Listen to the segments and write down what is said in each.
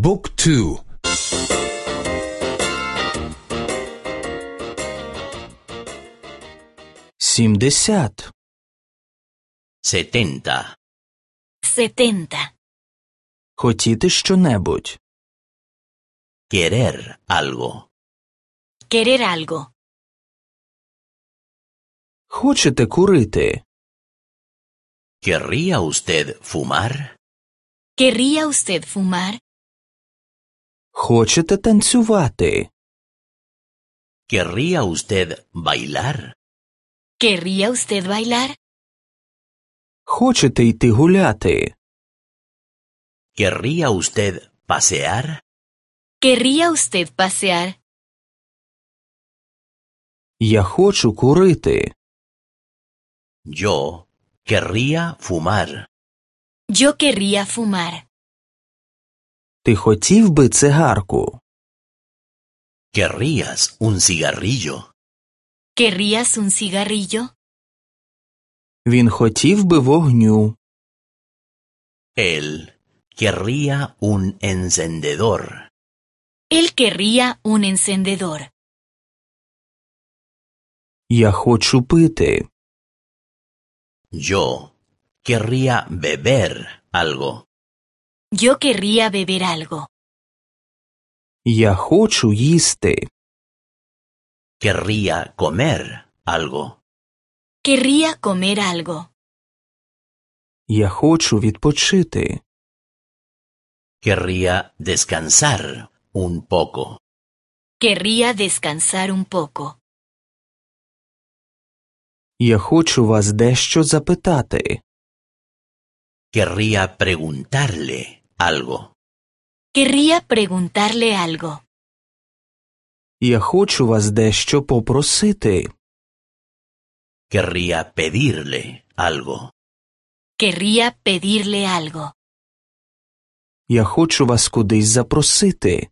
บุ๊กทู70 70. Хотіти що-небудь. Querer algo. Querer algo. Хочете курити? ¿Querría usted fumar? ¿Querría usted fumar? Хочете танцювати? ¿Querría usted bailar? ¿Querría usted bailar? Хочете йти гуляти? ¿Querría usted pasear? ¿Querría usted pasear? Я хочу курити. Yo querría fumar. Yo querría fumar. Ти хотів би цигарку? ¿Querrías un cigarrillo? ¿Querrías un cigarrillo? Він хотів би вогню. Él querría un encendedor. Él querría un encendedor. Я хочу пити. Yo querría beber algo. Yo querría beber algo. Я хочу їсти. Querría comer algo. Querría comer algo. Я хочу відпочити. Querría descansar un poco. Querría descansar un poco. Я хочу вас дещо запитати. Querría preguntarle algo. Querría preguntarle algo. Я хочу вас дещо попросити. Querría pedirle algo. Querría pedirle algo. Я хочу вас кудись запросити.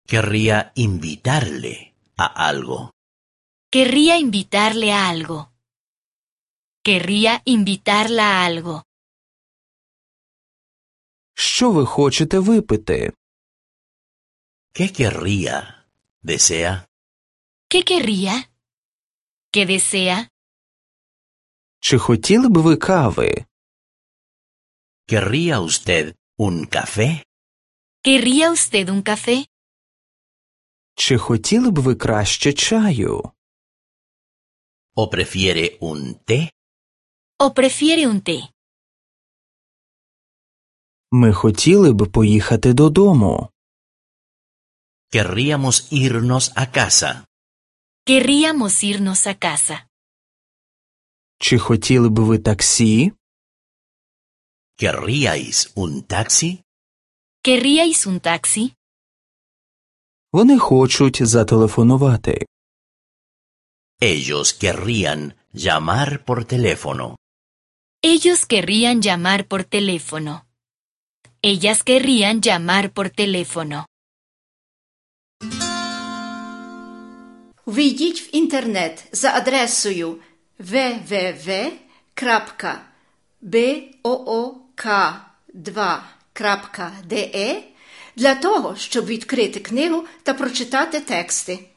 Querría invitarle a algo. Querría invitarle a algo. Querría invitarla a algo. Що ви хочете випити? ¿Qué querría? ¿Desea? ¿Qué querría? ¿Qué desea? Чи хотіли б ви кави? ¿Querría usted un café? ¿Querría usted un café? Чи хотіли б ви краще чаю? ¿O prefiere un té? ¿O prefiere un té? Ми хотіли б поїхати додому. Querríamos irnos a casa. Querríamos irnos a casa. Чи хотіли б ви таксі? ¿Querríais un taxi? ¿Querríais un taxi? Вони хочуть зателефонувати. Ellos querrían llamar por teléfono. Ellos querrían llamar por teléfono. Ellas querrían llamar por teléfono. Ввійдіть в інтернет за адресою www.book2.de для того, щоб відкрити книгу та прочитати тексти.